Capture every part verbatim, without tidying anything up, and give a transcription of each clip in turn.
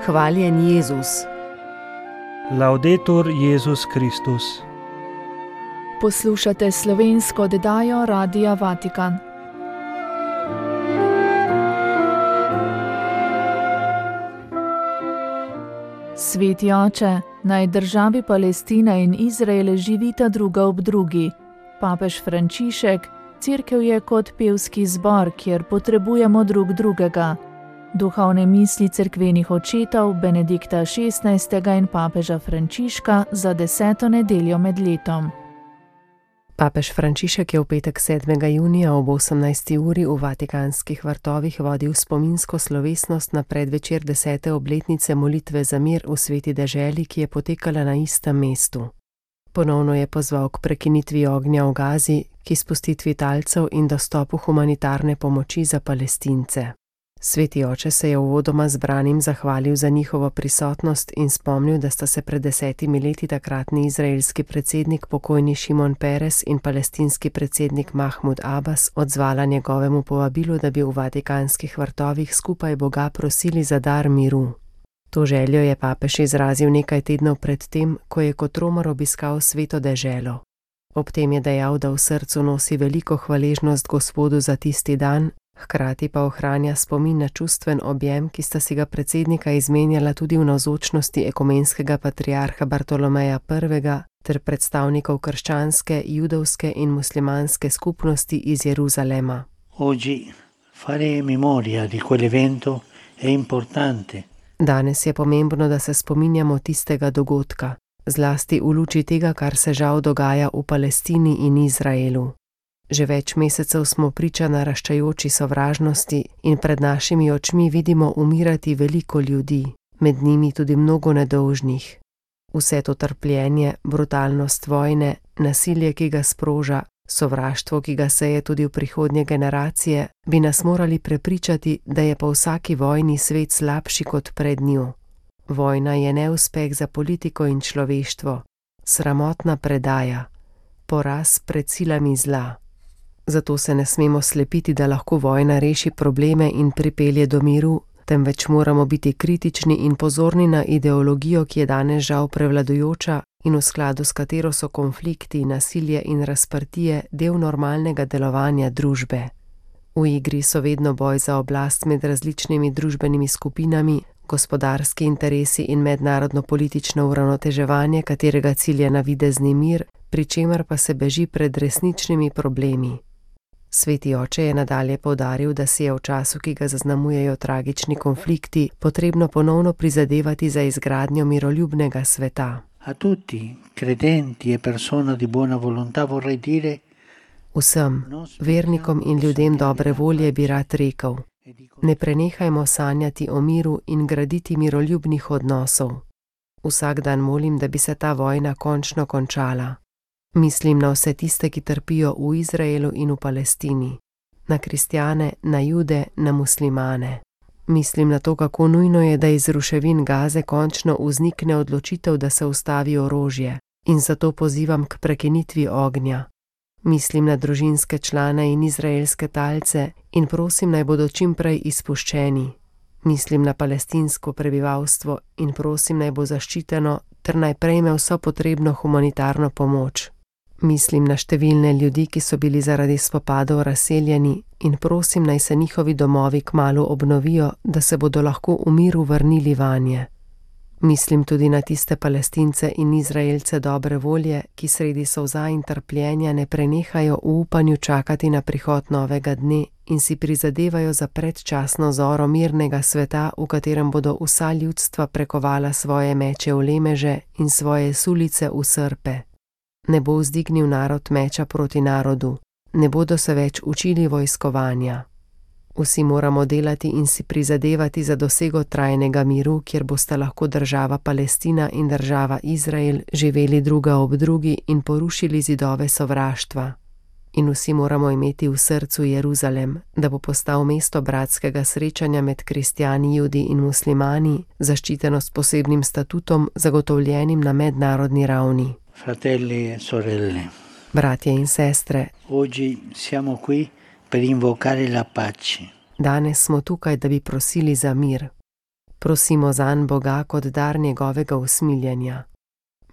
Hvaljen Jezus. Laudetur Jezus Kristus. Poslušate slovensko oddajo Radia Vatikan. Sveti oče, naj državi Palestina in Izrael živita druga ob drugi. Papež Frančišek, cerkev je kot pevski zbor, kjer potrebujemo drug drugega. Duhovne misli cerkvenih očetov Benedikta šestnajstega in papeža Frančiška za deseto nedeljo med letom. Papež Frančišek je v petek sedmega junija ob osemnajsti uri v Vatikanskih vrtovih vodil spominsko slovesnost na predvečer desete obletnice molitve za mir v sveti deželi, ki je potekala na istem mestu. Ponovno je pozval k prekinitvi ognja v Gazi, k izpustitvi talcev in dostopu humanitarne pomoči za Palestince. Sveti oče se je uvodoma zbranim zahvalil za njihovo prisotnost in spomnil, da sta se pred desetimi leti takratni izraelski predsednik pokojni Šimon Peres in palestinski predsednik Mahmud Abbas odzvala njegovemu povabilu, da bi v Vatikanskih vrtovih skupaj Boga prosili za dar miru. To željo je papež izrazil nekaj tednov pred tem, ko je kot romar obiskal sveto deželo. Ob tem je dejal, da v srcu nosi veliko hvaležnost Gospodu za tisti dan, hkrati pa ohranja spomin na čustven objem, ki sta si ga predsednika izmenjala tudi v navzočnosti ekumenskega patriarha Bartolomeja prvega ter predstavnikov krščanske, judovske in muslimanske skupnosti iz Jeruzalema. Oggi fare memoria di quell'evento è importante. Danes je pomembno, da se spominjamo tistega dogodka, zlasti v luči tega, kar se žal dogaja v Palestini in Izraelu. Že več mesecev smo priča naraščajoči sovražnosti in pred našimi očmi vidimo umirati veliko ljudi, med njimi tudi mnogo nedolžnih. Vse to trpljenje, brutalnost vojne, nasilje, ki ga sproža, sovraštvo, ki ga seje tudi v prihodnje generacije, bi nas morali prepričati, da je po vsaki vojni svet slabši kot pred njo. Vojna je neuspeh za politiko in človeštvo, sramotna predaja, poraz pred silami zla. Zato se ne smemo slepiti, da lahko vojna reši probleme in pripelje do miru, temveč moramo biti kritični in pozorni na ideologijo, ki je danes žal prevladujoča in v skladu s katero so konflikti, nasilje in razprtije del normalnega delovanja družbe. V igri so vedno boj za oblast med različnimi družbenimi skupinami, gospodarski interesi in mednarodno-politično uravnoteževanje, katerega cilj je navidezni mir, pri čemer pa se beži pred resničnimi problemi. Sveti oče je nadalje poudaril, da si je v času, ki ga zaznamujejo tragični konflikti, potrebno ponovno prizadevati za izgradnjo miroljubnega sveta. A tutti, credenti e persone di buona volontà vorrei dire: Vsem, vernikom in ljudem dobre volje bi rad rekel: ne prenehajmo sanjati o miru in graditi miroljubnih odnosov. Vsak dan molim, da bi se ta vojna končno končala. Mislim na vse tiste, ki trpijo v Izraelu in v Palestini, na kristjane, na jude, na muslimane. Mislim na to, kako nujno je, da iz ruševin Gaze končno vznikne odločitev, da se ustavi orožje, in zato pozivam k prekinitvi ognja. Mislim na družinske člane in izraelske talce in prosim, naj bodo čim prej izpuščeni. Mislim na palestinsko prebivalstvo in prosim, naj bo zaščiteno ter naj prejme vso potrebno humanitarno pomoč. Mislim na številne ljudi, ki so bili zaradi spopadov razseljeni in prosim, naj se njihovi domovi kmalu obnovijo, da se bodo lahko v miru vrnili vanje. Mislim tudi na tiste Palestince in Izraelce dobre volje, ki sredi solza in trpljenja ne prenehajo v upanju čakati na prihod novega dne in si prizadevajo za predčasno zoro mirnega sveta, v katerem bodo vsa ljudstva prekovala svoje meče v lemeže in svoje sulice v srpe. Ne bo vzdignil narod meča proti narodu, ne bodo se več učili vojskovanja. Vsi moramo delati in si prizadevati za dosego trajnega miru, kjer bosta lahko država Palestina in država Izrael živeli druga ob drugi in porušili zidove sovraštva. In vsi moramo imeti v srcu Jeruzalem, da bo postal mesto bratskega srečanja med kristjani, judi in muslimani, zaščiteno s posebnim statutom, zagotovljenim na mednarodni ravni. Fratelli e sorelle. Bratje in sestre. Oggi siamo qui per invocare la pace. Danes smo tukaj, da bi prosili za mir. Prosimo zanj Boga kot dar njegovega usmiljenja.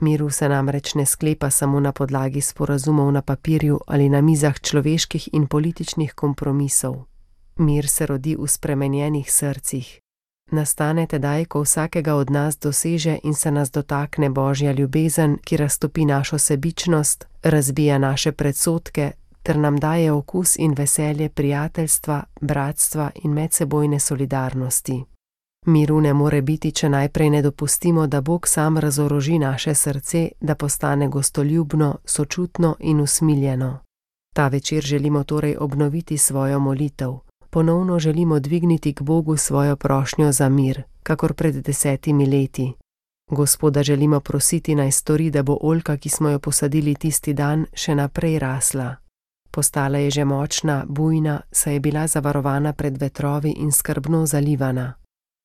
Miru se namreč ne sklepa samo na podlagi sporazumov na papirju ali na mizah človeških in političnih kompromisov. Mir se rodi v spremenjenih srcih. Nastane tedaj, ko vsakega od nas doseže in se nas dotakne Božja ljubezen, ki raztopi našo sebičnost, razbija naše predsodke ter nam daje okus in veselje prijateljstva, bratstva in medsebojne solidarnosti. Miru ne more biti, če najprej ne dopustimo, da Bog sam razoroži naše srce, da postane gostoljubno, sočutno in usmiljeno. Ta večer želimo torej obnoviti svojo molitev. Ponovno želimo dvigniti k Bogu svojo prošnjo za mir, kakor pred desetimi leti. Gospoda želimo prositi, naj stori, da bo oljka, ki smo jo posadili tisti dan, še naprej rasla. Postala je že močna, bujna, saj je bila zavarovana pred vetrovi in skrbno zalivana.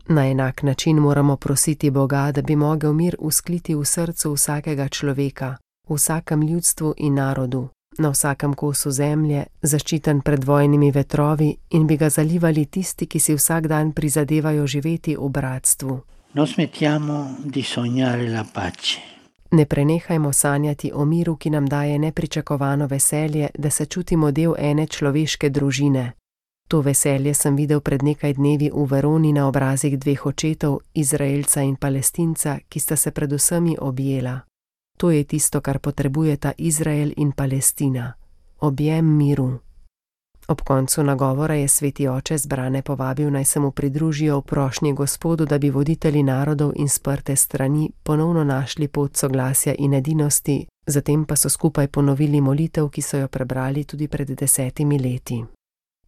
Na enak način moramo prositi Boga, da bi mogel mir uskliti v srcu vsakega človeka, v vsakem ljudstvu in narodu, na vsakem kosu zemlje, zaščiten pred vojnimi vetrovi in bi ga zalivali tisti, ki si vsak dan prizadevajo živeti v bratstvu. Non smettiamo di sognare la pace. Ne prenehajmo sanjati o miru, ki nam daje nepričakovano veselje, da se čutimo del ene človeške družine. To veselje sem videl pred nekaj dnevi v Veroni na obrazih dveh očetov, Izraelca in Palestinca, ki sta se pred vsemi objela. To je tisto, kar potrebujeta Izrael in Palestina. Objem miru. Ob koncu nagovora je sveti oče zbrane povabil, naj se mu pridružijo v prošnji Gospodu, da bi voditelji narodov in sprte strani ponovno našli pot soglasja in edinosti, zatem pa so skupaj ponovili molitev, ki so jo prebrali tudi pred desetimi leti.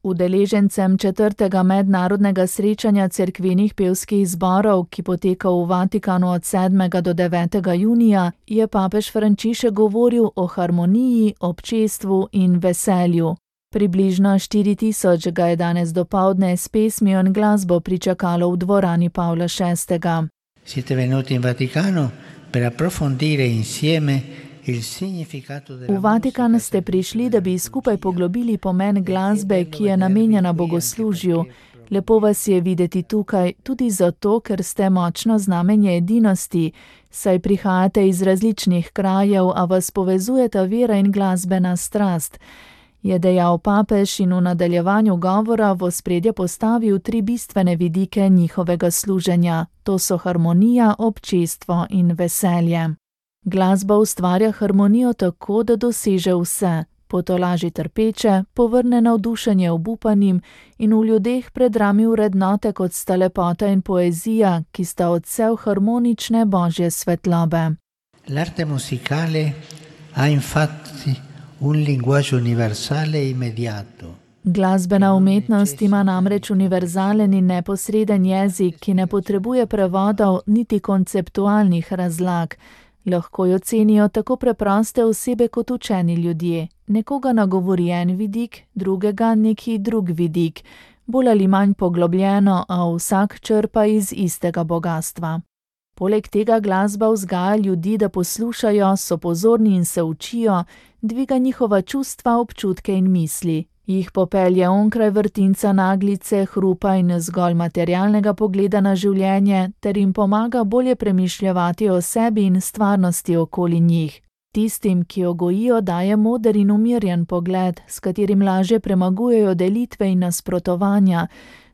Udeležencem četrtega mednarodnega srečanja cerkvenih pevskih zborov, ki poteka v Vatikanu od sedmega do devetega junija, je papež Frančišek govoril o harmoniji, občestvu in veselju. Približno štiri tisoč ga je danes dopoldne s pesmijo in glasbo pričakalo v dvorani Pavla šestega. Siete venuti in Vaticano per approfondire insieme V Vatikan ste prišli, da bi skupaj poglobili pomen glasbe, ki je namenjena bogoslužju. Lepo vas je videti tukaj, tudi zato, ker ste močno znamenje edinosti, saj prihajate iz različnih krajev, a vas povezujeta vera in glasbena strast, je dejal papež in v nadaljevanju govora v ospredje postavil tri bistvene vidike njihovega služenja. To so harmonija, občestvo in veselje. Glasba ustvarja harmonijo tako, da doseže vse, potolaži trpeče, povrne navdušenje obupanim in v ljudeh predrami vrednote, kot sta lepota in poezija, ki sta odsev harmonične božje svetlobe. L'arte musicale ha infatti un linguaggio universale e immediato. Glasbena umetnost ima namreč univerzalen in neposreden jezik, ki ne potrebuje prevodov niti konceptualnih razlag. Lahko jo cenijo tako preproste osebe kot učeni ljudje. Nekoga nagovori en vidik, drugega neki drug vidik, bolj ali manj poglobljeno, a vsak črpa iz istega bogastva. Poleg tega glasba vzgaja ljudi, da poslušajo, so pozorni in se učijo, dviga njihova čustva, občutke in misli. Jih popelje onkraj vrtinca naglice, hrupa in zgolj materialnega pogleda na življenje, ter jim pomaga bolje premišljevati o sebi in stvarnosti okoli njih. Tistim, ki jo gojijo, daje moder in umirjen pogled, s katerim lažje premagujejo delitve in nasprotovanja,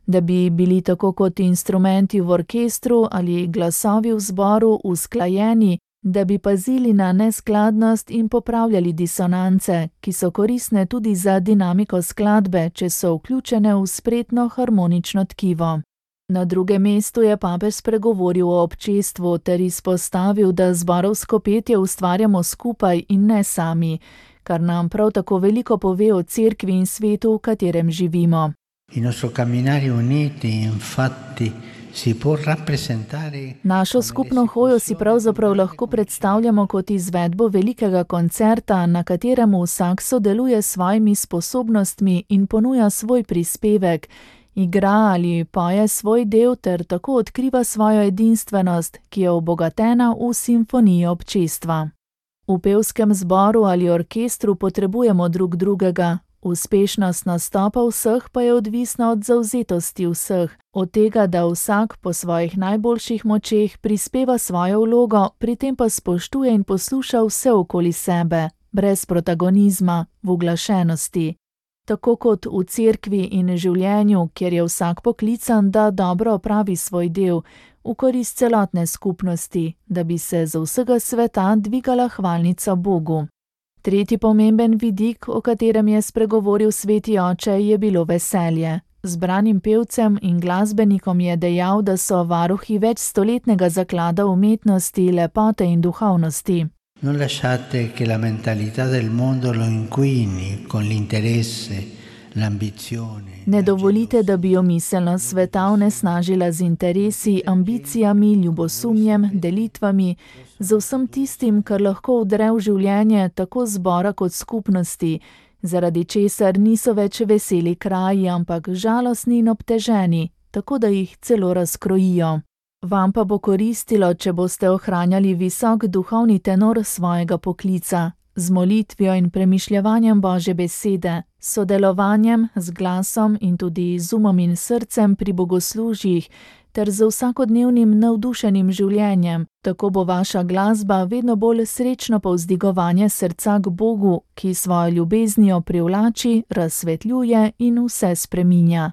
da bi bili tako kot instrumenti v orkestru ali glasovi v zboru usklajeni, da bi pazili na neskladnost in popravljali disonance, ki so koristne tudi za dinamiko skladbe, če so vključene v spretno harmonično tkivo. Na drugem mestu je papež spregovoril o občestvu ter izpostavil, da zborovsko petje ustvarjamo skupaj in ne sami, kar nam prav tako veliko pove o cerkvi in svetu, v katerem živimo. Il nostro camminare uniti, infatti, si può rappresentare. Našo skupno hojo si pravzaprav lahko predstavljamo kot izvedbo velikega koncerta, na katerem vsak sodeluje s svojimi sposobnostmi in ponuja svoj prispevek, igra ali poje svoj del ter tako odkriva svojo edinstvenost, ki je obogatena v simfoniji občestva. V pevskem zboru ali orkestru potrebujemo drug drugega. Uspešnost nastopa vseh pa je odvisna od zavzetosti vseh, od tega, da vsak po svojih najboljših močeh prispeva svojo vlogo, pri tem pa spoštuje in posluša vse okoli sebe, brez protagonizma, v uglašenosti. Tako kot v cerkvi in življenju, kjer je vsak poklican, da dobro opravi svoj del, v korist celotne skupnosti, da bi se z vsega sveta dvigala hvalnica Bogu. Tretji pomemben vidik, o katerem je spregovoril sveti oče, je bilo veselje. Zbranim pevcem in glasbenikom je dejal, da so varuhi večstoletnega zaklada umetnosti, lepote in duhovnosti. Non lasciate che la mentalità del mondo lo inquini con l'interesse, l'ambizione. Ne dovolite, da bi jo miselnost sveta onesnažila z interesi, ambicijami, ljubosumjem, delitvami, z vsem tistim, kar lahko vdre v življenje tako zbora kot skupnosti, zaradi česar niso več veseli kraji, ampak žalostni in obteženi, tako da jih celo razkrojijo. Vam pa bo koristilo, če boste ohranjali visok duhovni tenor svojega poklica, z molitvijo in premišljevanjem Božje besede, sodelovanjem z glasom in tudi z umom in srcem pri bogoslužjih, ter z vsakodnevnim navdušenim življenjem, tako bo vaša glasba vedno bolj srečno povzdigovanje srca k Bogu, ki svojo ljubeznijo privlači, razsvetljuje in vse spreminja.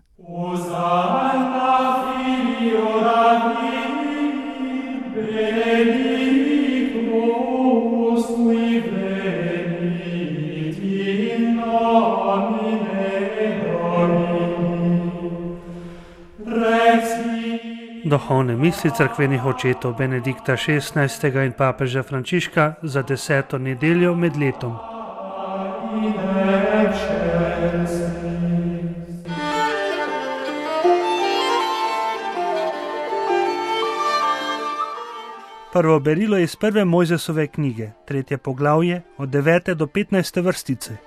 Duhovne misli cerkvenih očetov Benedikta šestnajstega in papeža Frančiška za deseto nedeljo med letom. Prvo berilo iz prve Mojzesove knjige, tretje poglavje, od devete do petnajste vrstice.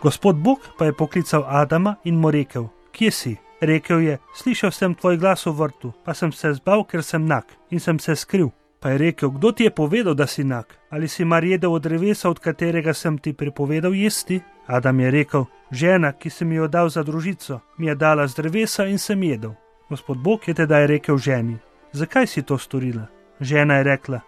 Gospod Bog pa je poklical Adama in mu rekel: Kje si? Rekel je: Slišal sem tvoj glas v vrtu, pa sem se zbal, ker sem nag, in sem se skril. Pa je rekel: Kdo ti je povedal, da si nag? Ali si mar jedel od drevesa, od katerega sem ti prepovedal jesti? Adam je rekel: Žena, ki si mi jo dal za družico, mi je dala z drevesa in sem jedel. Gospod Bog je tedaj rekel ženi: Zakaj si to storila? Žena je rekla: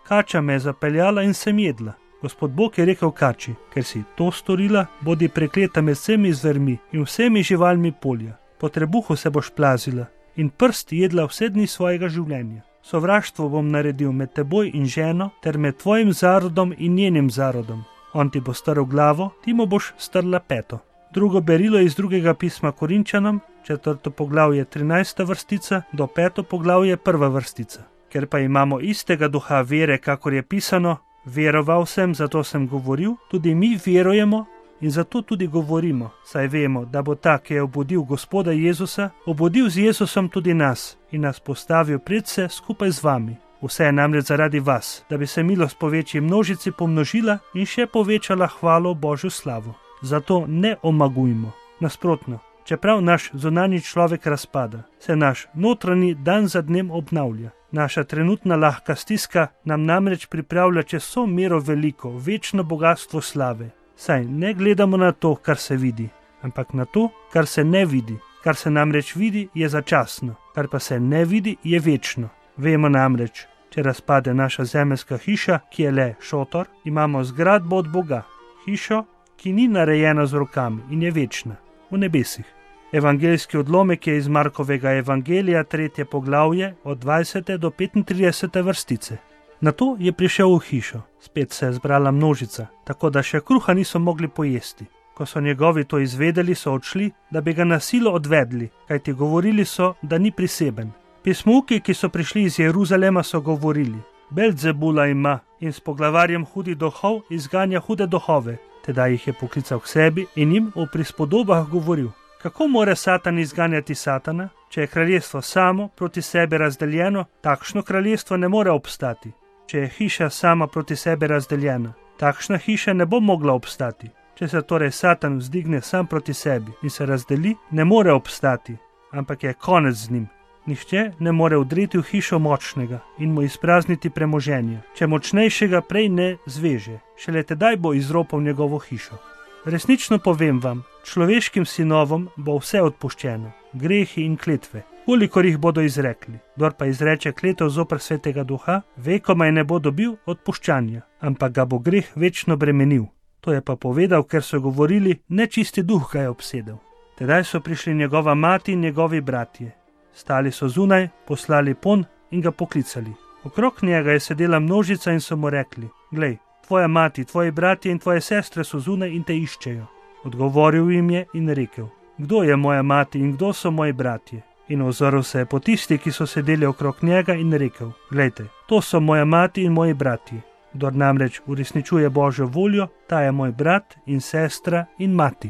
Kača me je zapeljala in sem jedla. Gospod Bog je rekel kači: Ker si to storila, bodi prekleta med vsemi zvermi in vsemi živalmi polja. Po trebuhu se boš plazila in prst jedla vse dni svojega življenja. Sovraštvo bom naredil med teboj in ženo ter med tvojim zarodom in njenim zarodom. On ti bo strl glavo, ti mu boš strla peto. Drugo berilo iz drugega pisma Korinčanom, četrto poglavje trinajsta vrstica do peto poglavje prva vrstica. Ker pa imamo istega duha vere, kakor je pisano: Veroval sem, zato sem govoril, tudi mi verujemo in zato tudi govorimo, saj vemo, da bo ta, ki je obudil Gospoda Jezusa, obudil z Jezusom tudi nas in nas postavil pred se skupaj z vami. Vse je namreč zaradi vas, da bi se milost po večji množici pomnožila in še povečala hvalo Božjo slavo. Zato ne omagujmo. Nasprotno, čeprav naš zunanji človek razpada, se naš notranji dan za dnem obnavlja. Naša trenutna lahka stiska nam namreč pripravlja čez vso mero veliko, večno bogastvo slave. Saj ne gledamo na to, kar se vidi, ampak na to, kar se ne vidi. Kar se namreč vidi, je začasno, kar pa se ne vidi, je večno. Vemo namreč, če razpade naša zemeljska hiša, ki je le šotor, imamo zgradbo od Boga, hišo, ki ni narejena z rokami in je večna, v nebesih. Evangeljski odlomek je iz Markovega evangelija, tretje poglavje, od dvajsete do petintridesete vrstice. Nato je prišel v hišo, spet se je zbrala množica, tako da še kruha niso mogli pojesti. Ko so njegovi to izvedeli, so odšli, da bi ga na silo odvedli, kajti govorili so, da ni priseben. Pismuki, ki so prišli iz Jeruzalema, so govorili: Belzebula ima in s poglavarjem hudih duhov izganja hude duhove. Tedaj jih je poklical k sebi in jim v prispodobah govoril: Kako more Satan izganjati Satana? Če je kraljestvo samo proti sebi razdeljeno, takšno kraljestvo ne more obstati. Če je hiša sama proti sebi razdeljena, takšna hiša ne bo mogla obstati. Če se torej Satan vzdigne sam proti sebi in se razdeli, ne more obstati, ampak je konec z njim. Nihče ne more vdreti v hišo močnega in mu izprazniti premoženja, če močnejšega prej ne zveže, šele tedaj bo izropal njegovo hišo. Resnično povem vam, človeškim sinovom bo vse odpuščeno, grehi in kletve, kolikor jih bodo izrekli. Kdor pa izreče kletev zoper Svetega Duha, vekomaj ne bo dobil odpuščanja, ampak ga bo greh večno bremenil. To je pa povedal, ker so govorili, nečisti duh ga je obsedel. Tedaj so prišli njegova mati in njegovi bratje. Stali so zunaj, poslali pon in ga poklicali. Okrog njega je sedela množica in so mu rekli: Glej, tvoja mati, tvoji bratje in tvoje sestre so zunaj in te iščejo. Odgovoril jim je in rekel: Kdo je moja mati in kdo so moji bratje? In ozrl se je po tisti, ki so sedeli okrog njega, in rekel: Glejte, to so moja mati in moji bratje. Kdor namreč uresničuje Božjo voljo, ta je moj brat in sestra in mati.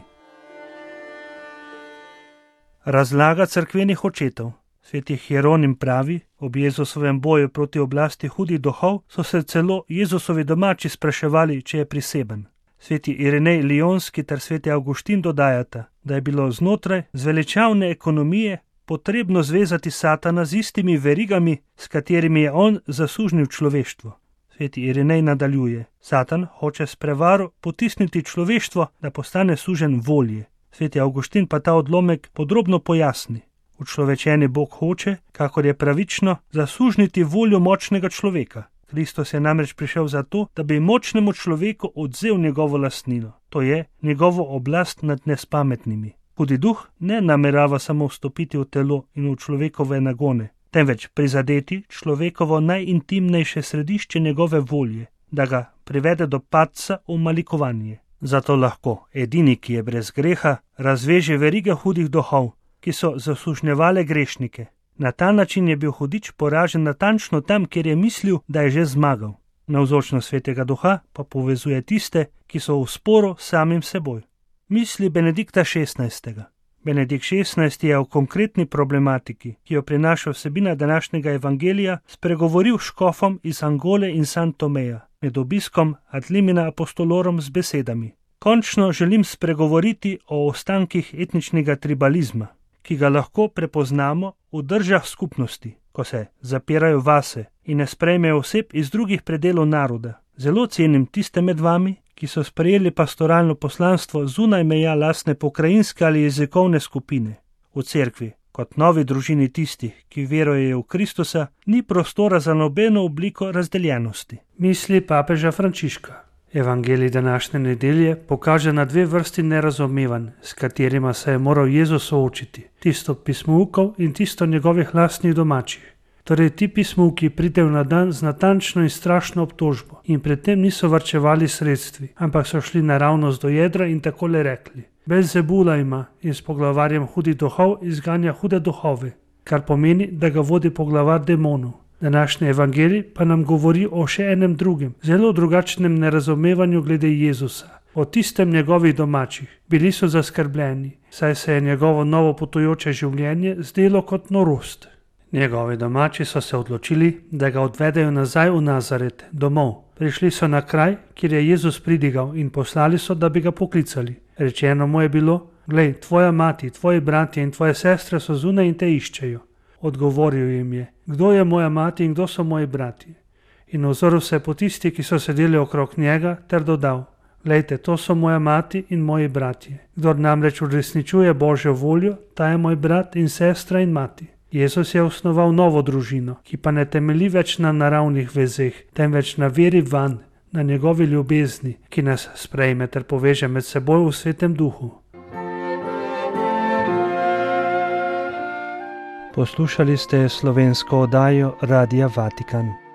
Razlaga cerkvenih očetov. Sveti Hieronim pravi, ob Jezusovem boju proti oblasti hudih duhov so se celo Jezusovi domači spraševali, če je priseben. Sveti Irinej Lionski ter sveti Avguštin dodajata, da je bilo znotraj zveličavne ekonomije potrebno zvezati Satana z istimi verigami, s katerimi je on zasužnil človeštvo. Sveti Irinej nadaljuje: Satan hoče s prevaro potisniti človeštvo, da postane suženj volje. Sveti Avguštin pa ta odlomek podrobno pojasni. Učlovečeni Bog hoče, kakor je pravično, zasužniti voljo močnega človeka. Kristus je namreč prišel zato, da bi močnemu človeku odvzel njegovo lastnino, to je njegovo oblast nad nespametnimi. Hudi duh ne namerava samo vstopiti v telo in v človekove nagone, temveč prizadeti človekovo najintimnejše središče njegove volje, da ga privede do padca v malikovanje. Zato lahko edini, ki je brez greha, razveže verige hudih duhov, ki so zasužnjevale grešnike. Na ta način je bil hudič poražen natančno tam, kjer je mislil, da je že zmagal. Navzočnost Svetega Duha pa povezuje tiste, ki so v sporu s samim seboj. Misli Benedikta šestnajstega. Benedikt šestnajsti je o konkretni problematiki, ki jo prinaša vsebina današnjega evangelija, spregovoril škofom iz Angole in San Tomeja, med obiskom ad limina apostolorum z besedami: Končno želim spregovoriti o ostankih etničnega tribalizma, ki ga lahko prepoznamo v državah skupnosti, ko se zapirajo vase in ne sprejmejo oseb iz drugih predelov naroda. Zelo cenim tiste med vami, ki so sprejeli pastoralno poslanstvo zunaj meja lastne pokrajinske ali jezikovne skupine. V cerkvi, kot novi družini tistih, ki verujejo v Kristusa, ni prostora za nobeno obliko razdeljenosti. Misli papeža Frančiška. Evangelij današnje nedelje pokaže na dve vrsti nerazumevanj, s katerima se je moral Jezus soočiti, tisto pismoukov in tisto njegovih lastnih domačih. Torej ti pismovki pridejo na dan z natančno in strašno obtožbo in pred tem niso varčevali sredstvi, ampak so šli naravnost do jedra in takole rekli: Belzebula ima in s poglavarjem hudih duhov izganja hude duhove, kar pomeni, da ga vodi poglavar demonov. Današnji evangelij pa nam govori o še enem drugem, zelo drugačnem nerazumevanju glede Jezusa, o tistem njegovih domačih. Bili so zaskrbljeni, saj se je njegovo novo potujoče življenje zdelo kot norost. Njegovi domači so se odločili, da ga odvedejo nazaj v Nazaret, domov. Prišli so na kraj, kjer je Jezus pridigal, in poslali so, da bi ga poklicali. Rečeno mu je bilo: Glej, tvoja mati, tvoji bratje in tvoje sestre so zunaj in te iščejo. Odgovoril jim je: Kdo je moja mati in kdo so moji bratje? In ozrl se po tisti, ki so sedeli okrog njega, ter dodal: Glejte, to so moja mati in moji bratje. Kdor namreč uresničuje Božjo voljo, ta je moj brat in sestra in mati. Jezus je osnoval novo družino, ki pa ne temelji več na naravnih vezeh, temveč na veri vanj, na njegovi ljubezni, ki nas sprejme ter poveže med seboj v Svetem Duhu. Poslušali ste slovensko oddajo Radia Vatikan.